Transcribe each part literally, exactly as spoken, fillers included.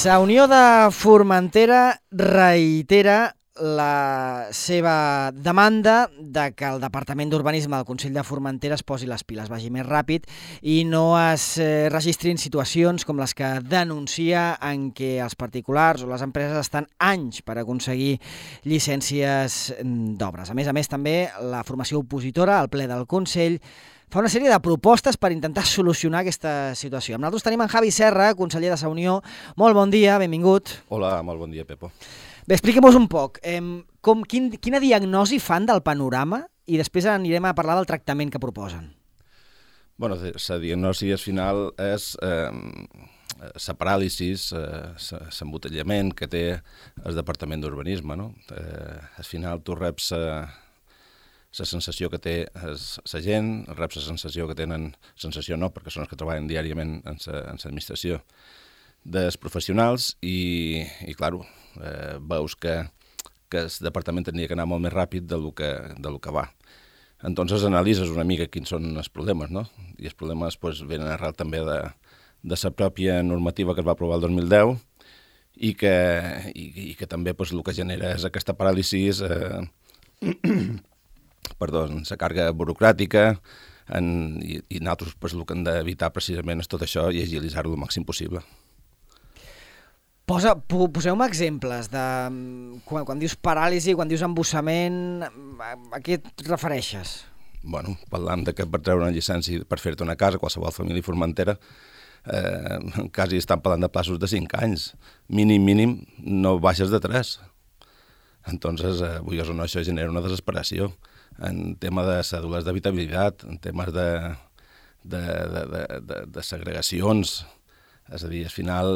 La Unió de Formentera reitera la seva demanda de que el Departament d'Urbanisme del Consell de Formentera es posi les piles, vagi més ràpid i no es eh, registrin situacions com les que denuncia en què els particulars o les empreses estan anys per aconseguir llicències d'obres. A més a més, també la formació opositora al ple del Consell fa una sèrie de propostes per intentar solucionar aquesta situació. Amb nosaltres tenim en Javi Serra, conseller de la Unió. Molt bon dia, benvingut. Hola, molt bon dia, Pepo. Bé, expliquem-vos un poc. Eh, com, quin, quina diagnosi fan del panorama i després anirem a parlar del tractament que proposen. Bueno, la diagnosi final és eh, la paràlisi, l'embotellament que té el Departament d'Urbanisme, no? Eh, al final tu reps la sensació que té la gent, reps la sensació que tenen, sensació no, perquè són els que treballen diàriament en l'administració, dels professionals i, i clar, eh, veus que, que el departament tenia que anar molt més ràpid del que, del que va. Entonces analitzes una mica quins són els problemes, no? I els problemes pues, venen arrel també de, de la pròpia normativa que es va aprovar el dos mil deu i que, i, i que també pues, el que genera és aquesta paràlisi, eh, perdó, la càrrega burocràtica, en, i, i nosaltres pues, el que hem d'evitar precisament és tot això i agilitzar-ho el màxim possible. Posa, poseu-me exemples de quan, quan dius paràlisi, quan dius embussament, a, a què et refereixes? Bueno, parlant de que per treure una llicència per fer-te una casa, qualsevol família formentera, eh, quasi estan parlant de plaços de cinc anys. Mínim, mínim, no baixes de tres. Entonces, eh, vulguis o no, això genera una desesperació en tema de cèdules d'habitabilitat, en temes de, de, de, de, de, de segregacions. És a dir, al final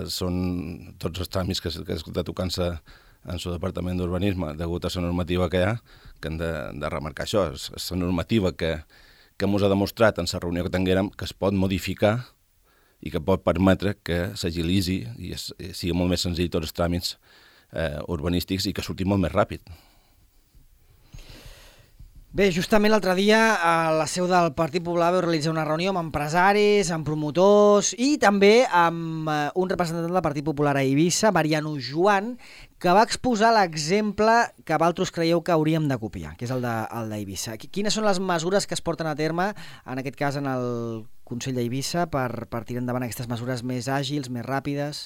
són tots els tràmits que, que està tocant-se en el Departament d'Urbanisme degut a la normativa que hi ha, que hem de, de remarcar això. És, és la normativa que, que ens ha demostrat en la reunió que tinguérem que es pot modificar i que pot permetre que s'agilitzi i, es, i sigui molt més senzill tots els tràmits eh, urbanístics i que surti molt més ràpid. Bé, justament l'altre dia a la seu del Partit Popular vau realitzar una reunió amb empresaris, amb promotors i també amb un representant del Partit Popular a Eivissa, Mariano Joan, que va exposar l'exemple que vosaltres creieu que hauríem de copiar, que és el d'Eivissa. Quines són les mesures que es porten a terme, en aquest cas en el Consell d'Eivissa, per, per tirar endavant aquestes mesures més àgils, més ràpides?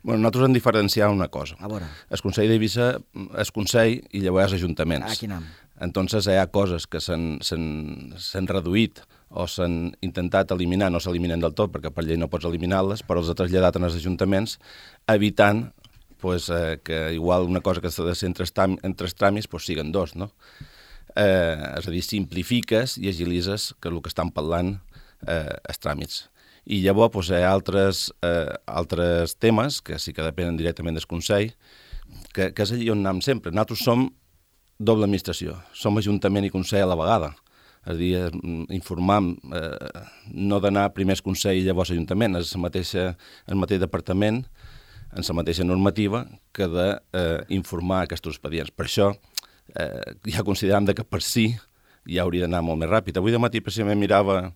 Bueno, nosaltres hem diferenciat una cosa. A veure. El Consell d'Eivissa és Consell i llavors ajuntaments. Ah, quin nom. Entonces hi ha coses que s'han reduït o s'han intentat eliminar, no s'eliminen del tot perquè per llei no pots eliminar-les, però els ha traslladat en els ajuntaments, evitant pues, eh, que igual una cosa que s'ha de ser entre, entre els tràmits pues, siguen dos, no? Eh, és a dir, simplifiques i agilitzes que el que estan parlant eh, els tràmits. I llavors pues, hi ha altres, eh, altres temes que sí que depenen directament del Consell, que, que és allà on anem sempre. Nosaltres som doble administració, som Ajuntament i Consell a la vegada. És a dir, informar, eh, no d'anar primer al Consell i llavors Ajuntament, és el mateix, el mateix departament, en la mateixa normativa, que d'informar eh, aquests expedients. Per això eh, ja considerem que per si ja hauria d'anar molt més ràpid. Avui de matí precisament mirava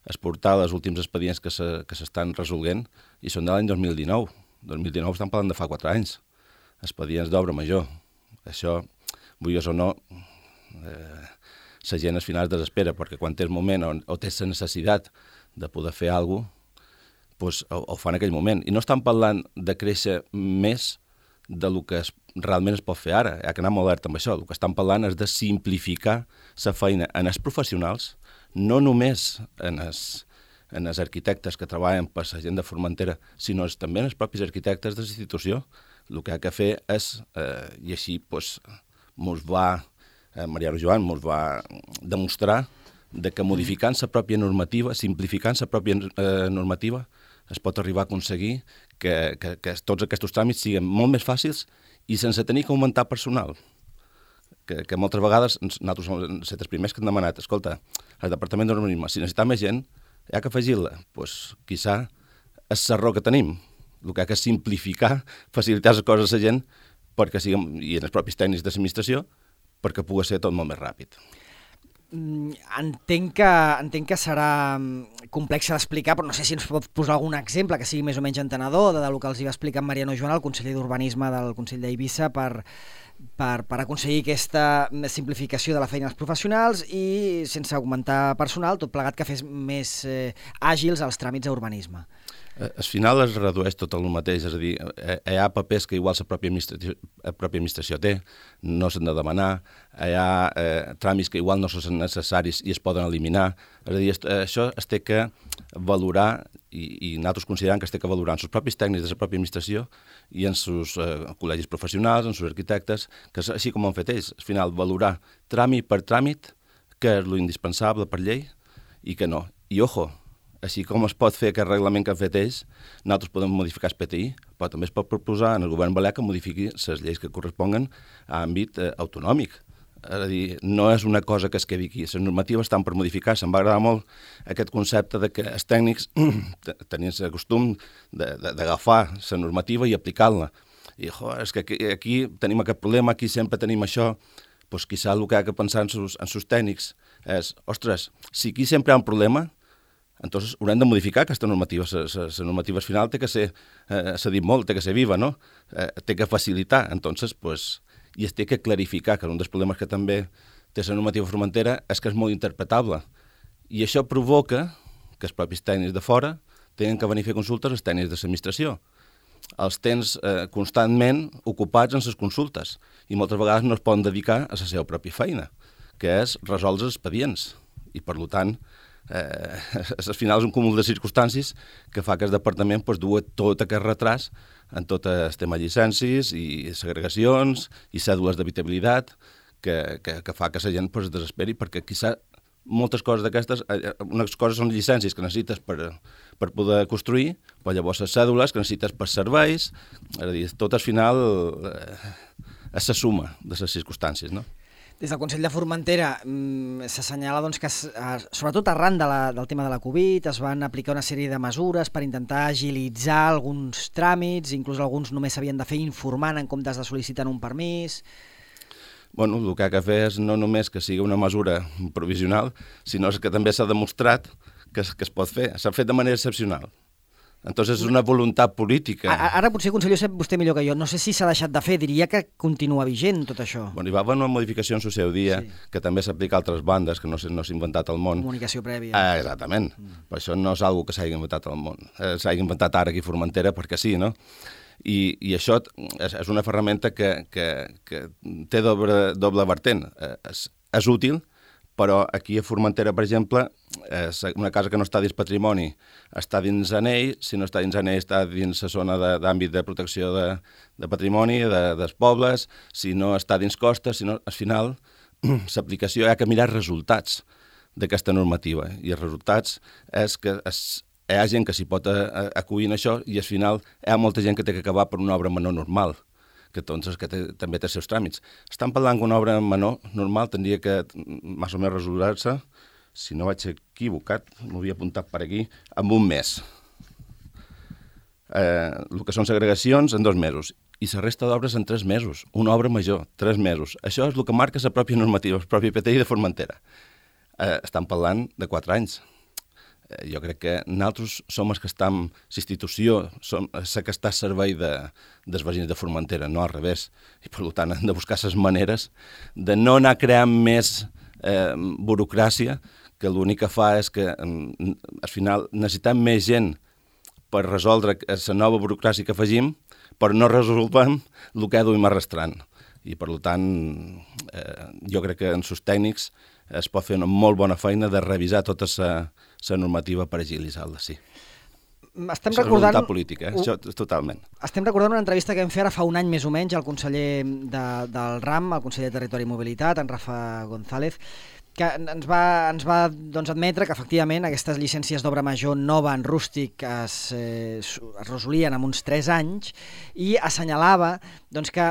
exportar els últims expedients que s'estan se, resolent i són de l'any dos mil dinou. dos mil dinou estan parlant de fa quatre anys. Expedients d'obra major. Això, vulguis o no, eh, la gent al final es desespera, perquè quan té el moment o, o té la necessitat de poder fer alguna cosa, pues, ho, ho fa en aquell moment. I no estan parlant de créixer més del que es, realment es pot fer ara. Hi ha que anar molt alerta amb això. El que estan parlant és de simplificar la feina en els professionals, no només en els, en els arquitectes que treballen per la gent de Formentera, sinó també en els propis arquitectes de la institució. El que ha de fer és, eh, i així pues, mos va, eh, Mariano Joan mos va demostrar de que modificant la pròpia normativa, simplificant la pròpia eh, normativa, es pot arribar a aconseguir que, que, que tots aquests tràmits siguin molt més fàcils i sense tenir que augmentar personal. Que, que moltes vegades nosaltres som els primers que hem demanat, escolta, el Departament d'Urbanisme, si necessita més gent, hi ha que afegir-la. Doncs, pues, quizà, és l'error que tenim. El que ha que simplificar, facilitar les coses a la gent, perquè siguem, i en els propis tècnics de l'administració, perquè pugui ser tot molt més ràpid. Entenc que, entenc que serà complex d'explicar, però no sé si ens pot posar algun exemple que sigui més o menys entenedor de del que els hi va explicar en Mariano Joan, el conseller d'Urbanisme del Consell d'Eivissa, per, per, per aconseguir aquesta simplificació de la feina dels professionals i, sense augmentar personal, tot plegat que fes més eh, àgils els tràmits a urbanisme. Al final es redueix tot el mateix, és a dir, hi ha papers que igual la pròpia administració, la pròpia administració té, no s'han de demanar, hi ha eh, tràmits que igual no són necessaris i es poden eliminar, és a dir, això es té que valorar i, i nosaltres considerem que es té que valorar en els propis tècnics de la pròpia administració i en els eh, col·legis professionals, en els arquitectes, que és així com ho han fet ells, al final valorar tràmit per tràmit, què és lo indispensable per llei i què no. I ojo, així com es pot fer aquest reglament que han fet ells, nosaltres podem modificar el P T I, però també es pot proposar en el govern balear que modifiqui les lleis que corresponguen a àmbit eh, autonòmic. És a dir, no és una cosa que es quedi aquí. Les normatives estan per modificar. Se'm va agradar molt aquest concepte de que els tècnics tenien el costum d'agafar la normativa i aplicar-la. I, jo, és que aquí, aquí tenim aquest problema, aquí sempre tenim això. Doncs quizà el que ha de pensar en els tècnics és, ostres, si aquí sempre hi ha un problema, entonces haurem de modificar aquesta normativa. La normativa final té que ser, eh, s'ha dit molt, té que ser viva, no? Eh, té que facilitar. Entonces, pues, i es té que clarificar, que un dels problemes que també té la normativa Formentera és que és molt interpretable. I això provoca que els propis tècnics de fora tenen que venir a fer consultes als tècnics de l'administració. Els tens eh, constantment ocupats en les consultes i moltes vegades no es poden dedicar a la seva pròpia feina, que és resoldre els expedients. I, per tant, Eh, al final és un cúmul de circumstàncies que fa que el departament pues, dua tot aquest retras en tot el tema llicències i segregacions i cèdules d'habitabilitat que, que, que fa que la gent pues, desesperi perquè quizà moltes coses d'aquestes, unes coses són llicències que necessites per, per poder construir, però llavors les cèdules que necessites per serveis, és a dir, tot al final eh, és la suma de les circumstàncies, no? Des del Consell de Formentera mmm, s'assenyala doncs, que, sobretot arran de la, del tema de la Covid, es van aplicar una sèrie de mesures per intentar agilitzar alguns tràmits, inclús alguns només s'havien de fer informant en comptes de sol·licitar un permís. Bueno, el que ha de fer és no només que sigui una mesura provisional, sinó que també s'ha demostrat que es, que es pot fer. S'ha fet de manera excepcional. Entonces és una voluntat política. Ara potser, conseller, ho sap vostè millor que jo. No sé si s'ha deixat de fer, diria que continua vigent tot això. Bueno, hi va haver una modificació en el seu dia, sí, que també s'aplica a altres bandes, que no s'ha no inventat al món. Comunicació prèvia. Ah, exactament. Mm. Però això no és una que s'hagi inventat al món. Eh, s'ha inventat ara aquí a Formentera perquè sí, no? I, i això és, és una ferramenta que, que, que té doble, doble vertent. Eh, és, és útil, però aquí a Formentera, per exemple, és una casa que no està dins patrimoni està dins anell, si no està dins anell està dins la zona d'àmbit de, de protecció de, de patrimoni, de, dels pobles, si no està dins costa, si no, al final l'aplicació hi ha que mirar resultats d'aquesta normativa, i els resultats és que es, hi ha gent que s'hi pot acollir en això i al final hi ha molta gent que té que acabar per una obra menor normal, que, doncs, que té, també té els seus tràmits. Estan parlant que una obra menor normal tindria que més o menys resoldre-se, si no vaig equivocat, m'ho havia apuntat per aquí, en un mes. Eh, el que són segregacions en dos mesos i la resta d'obres en tres mesos. Una obra major, tres mesos. Això és el que marca la pròpia normativa, el propi P T I de Formentera. Eh, estan parlant de quatre anys. Eh, jo crec que nosaltres som els que estem, l'institució, som la que està a servei de, dels veïns de Formentera, no al revés. I per tant hem de buscar les maneres de no anar creant més eh, burocràcia, que l'únic que fa és que al final necessitem més gent per resoldre la nova burocràcia que afegim, però no resolvem el que duim arrastrant. I per tant, eh, jo crec que en els tècnics es pot fer una molt bona feina de revisar tota la normativa per agilitzar-la, sí. Estem Això recordant... és voluntat política, eh? Això totalment. Estem recordant una entrevista que vam fer ara fa un any més o menys al conseller de, del RAM, el conseller de Territori i Mobilitat, en Rafa González, que ens va, ens va doncs, admetre que efectivament aquestes llicències d'obra major nova en rústic es, eh, es resolien en uns tres anys i assenyalava doncs, que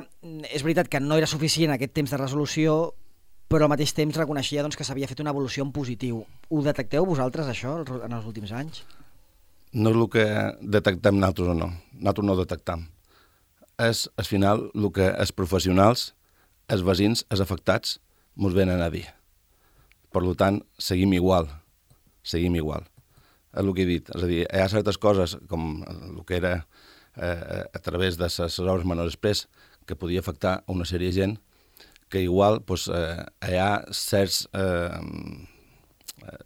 és veritat que no era suficient aquest temps de resolució, però al mateix temps reconeixia doncs, que s'havia fet una evolució en positiu. Ho detecteu vosaltres, això, en els últims anys? No és el que detectem nosaltres o no. Nosaltres no ho detectem. És, al final, el que els professionals, els veïns, els afectats, ens venen a dir. Per tant, seguim igual, seguim igual. És el que he dit, és a dir, hi ha certes coses, com el que era eh, a través de les obres menors express, que podia afectar a una sèrie de gent, que igual pues, eh, hi ha certs, eh,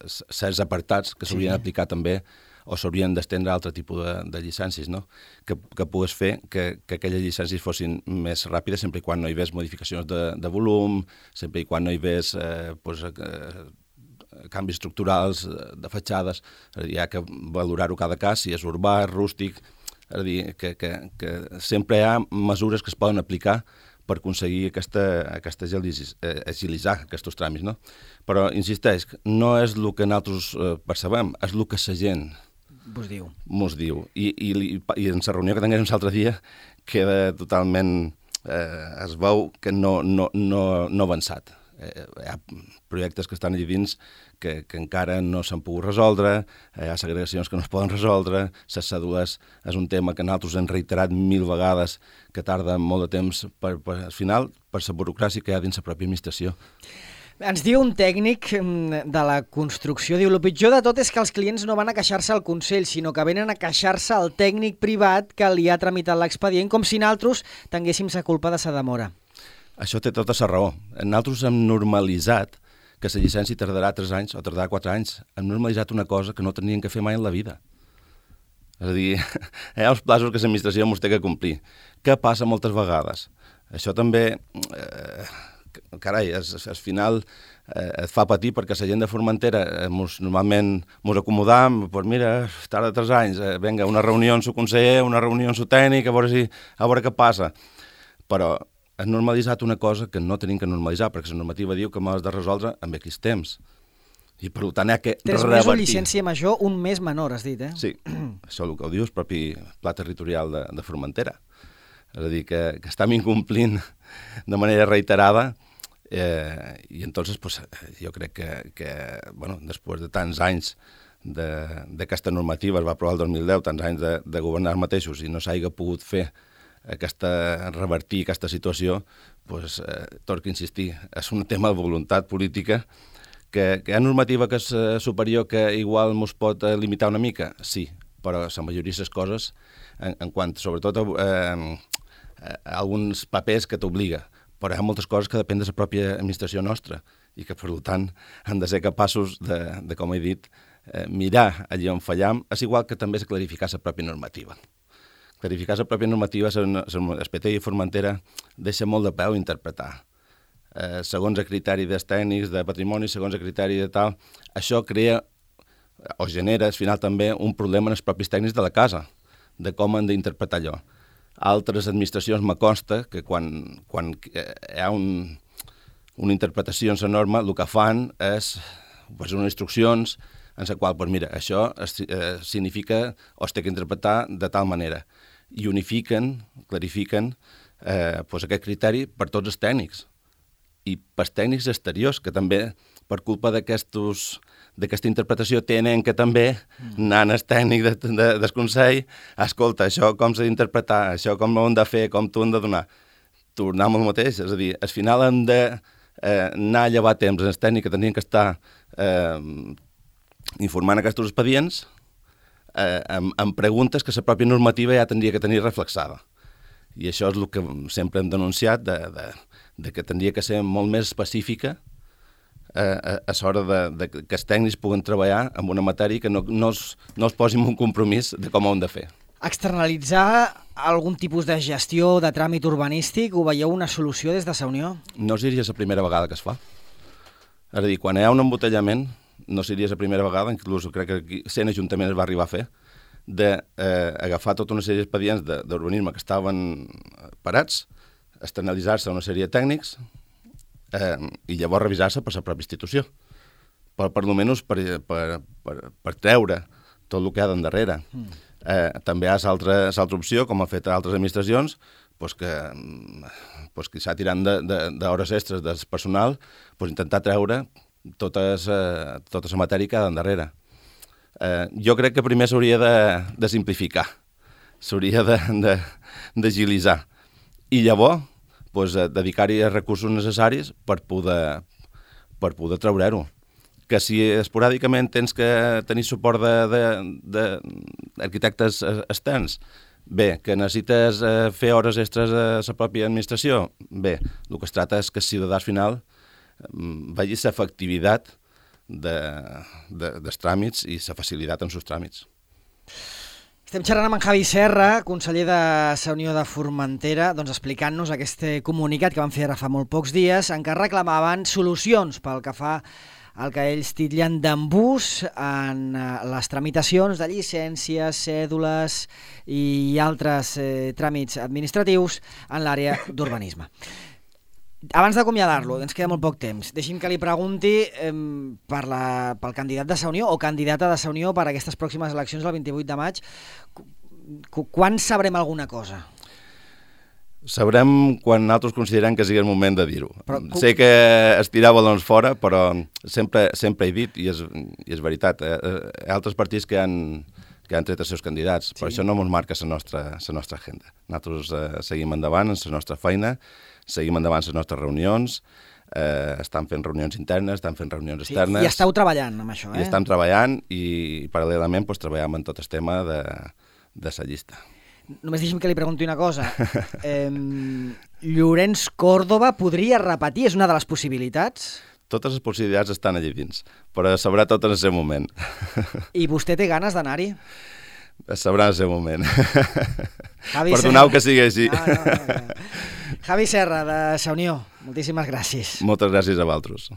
certs apartats que s'haurien d'aplicar sí. també o s'haurien d'estendre a altre tipus de, de llicències, no? que, que pogués fer que, que aquelles llicències fossin més ràpides sempre i quan no hi hagués modificacions de, de volum, sempre i quan no hi hagués eh, pues, eh, canvis estructurals de fatxades, és a dir, hi ha que valorar-ho cada cas, si és urbà, rústic, és a dir, que, que, que sempre hi ha mesures que es poden aplicar per aconseguir aquesta, aquesta agilitzar aquests tràmits, no? Però, insisteix, no és el que nosaltres eh, percebem, és el que la gent Vos diu. Mos diu. I, i, i en la reunió que tinguem l'altre dia queda totalment... Eh, es veu que no, no, no, no ha avançat. Eh, hi ha projectes que estan allà dins que, que encara no s'han pogut resoldre, hi ha segregacions que no es poden resoldre, les cèdules és un tema que nosaltres hem reiterat mil vegades, que tarda molt de temps, per, per, al final, per la burocràcia que hi ha dins la pròpia administració. Ens diu un tècnic de la construcció, diu, el pitjor de tot és que els clients no van a queixar-se al Consell, sinó que venen a queixar-se al tècnic privat que li ha tramitat l'expedient, com si nosaltres tinguéssim la culpa de sa demora. Això té tota la raó. Nosaltres hem normalitzat que la llicència tardarà tres anys o tardarà quatre anys. Hem normalitzat una cosa que no tenien que fer mai en la vida. És a dir, hi ha uns plaços que l'administració ens té que complir. Què passa moltes vegades? Això també... Eh, carai, al final eh, et fa patir perquè la gent de Formentera eh, mos, normalment ens acomodam, doncs mira, tarda tres anys, eh, vinga, una reunió amb el conseller, una reunió amb el tècnic, a veure, si, a veure què passa. Però has normalitzat una cosa que no tenim que normalitzar, perquè la normativa diu que m'has de resoldre amb X temps. I per tant hi ha que revertir. Tres mesos llicència major, un mes menor, has dit, eh? Sí, això és el que ho diu el propi pla territorial de, de Formentera. És a dir, que, que estem incomplint de manera reiterada eh, i entonces pues, jo crec que, que bueno, després de tants anys d'aquesta normativa, es va aprovar el dos mil deu, tants anys de, de governar mateixos i no s'hagi pogut fer aquesta, revertir aquesta situació, pues, eh, torno a insistir, és un tema de voluntat política. Que, que hi ha normativa que és superior que igual ens pot limitar una mica? Sí, però la majoria de les coses, en, en quant sobretot a, eh, a alguns papers que t'obliga, però hi ha moltes coses que depèn de la pròpia administració nostra i que, per tant, han de ser capaços de, de com he dit, eh, mirar allà on fallam. És igual que també és clarificar la pròpia normativa. Clarificar la pròpia normativa, el P T i Formentera deixa molt de peu a interpretar. Eh, segons el criteri dels tècnics, de patrimoni, segons el criteri de tal, això crea o genera, al final, també un problema en els propis tècnics de la casa, de com han d'interpretar allò. Altres administracions me consta que quan, quan hi ha un, una interpretació en la norma, el que fan és pues, unes instruccions en la qual, pues, mira, això es, eh, significa o es té que interpretar de tal manera. I unifiquen, clarifiquen eh, pues, aquest criteri per tots els tècnics i pels tècnics exteriors, que també, per culpa d'aquesta interpretació, tenen que també anar al tècnic de, de, del Consell, escolta, això com s'ha d'interpretar, això com ho hem de fer, com t'ho hem de donar. Tornar amb el mateix, és a dir, al final hem de eh, anar a llevar temps els tècnics que tenien que estar eh, informant aquests expedients eh, amb, amb preguntes que la pròpia normativa ja tindria que tenir reflexada. I això és el que sempre hem denunciat, de, de, de que tindria que ser molt més específica eh, a, a l'hora de, de que els tècnics puguen treballar en una matèria que no, no, es, no es posi en un compromís de com ho hem de fer. Externalitzar algun tipus de gestió de tràmit urbanístic, ho veieu una solució des de la Unió? No seria la primera vegada que es fa. És a dir, quan hi ha un embotellament, no seria la primera vegada, inclús crec que aquí cent ajuntaments es va arribar a fer, d'agafar eh, tota una sèrie d'expedients d'urbanisme que estaven parats, externalitzar-se a una sèrie de tècnics eh, i llavors revisar-se per la pròpia institució. Per, per almenys per, per, per, per treure tot el que hi ha d'endarrere. Mm. Eh, també hi ha l'altra opció, com han fet altres administracions, pues que, pues que s'ha tirant d'hores extres del personal, pues intentar treure tota la tota matèria que hi ha d'endarrere. Eh, jo crec que primer s'hauria de, de simplificar, s'hauria d'agilitzar i llavors pues, dedicar-hi els recursos necessaris per poder, per poder treure-ho. que si esporàdicament tens que tenir suport d'arquitectes externs, bé, que necessites eh, fer hores extres a la pròpia administració, bé, el que es tracta és que el ciutadà final vegi l'efectivitat de, de, dels tràmits i la facilitat en els tràmits. Estem xerrant amb en Javi Serra, conseller de la Unió de Formentera, doncs explicant-nos aquest comunicat que van fer ara fa molt pocs dies, en què reclamaven solucions pel que fa el que ells titllen d'embús en les tramitacions de llicències, cèdules i altres eh, tràmits administratius en l'àrea d'urbanisme. Abans d'acomiadar-lo, ens queda molt poc temps, deixi'm que li pregunti eh, per la, pel candidat de la Unió o candidata de la Unió per a aquestes pròximes eleccions del vint-i-vuit de maig. Quan sabrem alguna cosa? Sabrem quan nosaltres considerem que sigui el moment de dir-ho. Sé que es tirar balons fora, però sempre, sempre he dit, i és, i és veritat, eh, hi ha altres partits que han, que han tret els seus candidats, sí. Però això no ens marca la nostra, la nostra agenda. Nosaltres eh, seguim endavant en la nostra feina, seguim endavant les nostres reunions, eh, estan fent reunions internes, estan fent reunions sí, externes. I esteu treballant amb això, eh? I estan treballant i paral·lelament pues, treballem en tot el tema de, de la llista. Només deixi'm que li pregunti una cosa. Eh, Llorenç Córdoba podria repetir? És una de les possibilitats? Totes les possibilitats estan allà dins, però sabrà tot en el seu moment. I vostè té ganes d'anar-hi? Sabrà en el seu moment. Javi Perdoneu Serra. Que sigui així. No, no, no. Javi Serra, de la Unió, moltíssimes gràcies. Moltes gràcies a vosaltres.